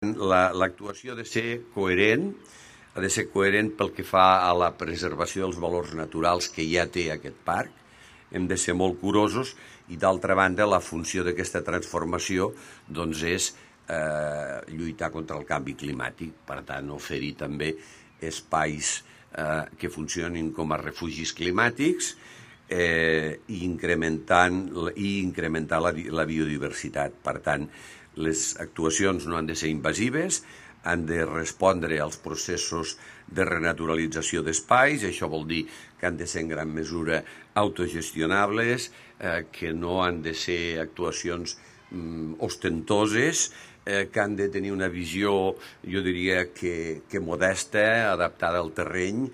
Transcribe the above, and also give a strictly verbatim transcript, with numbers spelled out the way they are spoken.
L'actuació ha de ser coherent, ha de ser coherent pel que fa a la preservació dels valors naturals que ja té aquest parc. Hem de ser molt curosos i, d'altra banda, la funció d'aquesta transformació doncs, és eh, lluitar contra el canvi climàtic. Per tant, oferir també espais eh, que funcionin com a refugis climàtics eh, i, incrementant, i incrementar la, la biodiversitat. Per tant, les actuacions no han de ser invasives, han de respondre als processos de renaturalització d'espais. Això vol dir que han de ser en gran mesura autogestionables, eh, que no han de ser actuacions mm, ostentoses, eh, que han de tenir una visió, jo diria, que, que modesta, adaptada al terreny.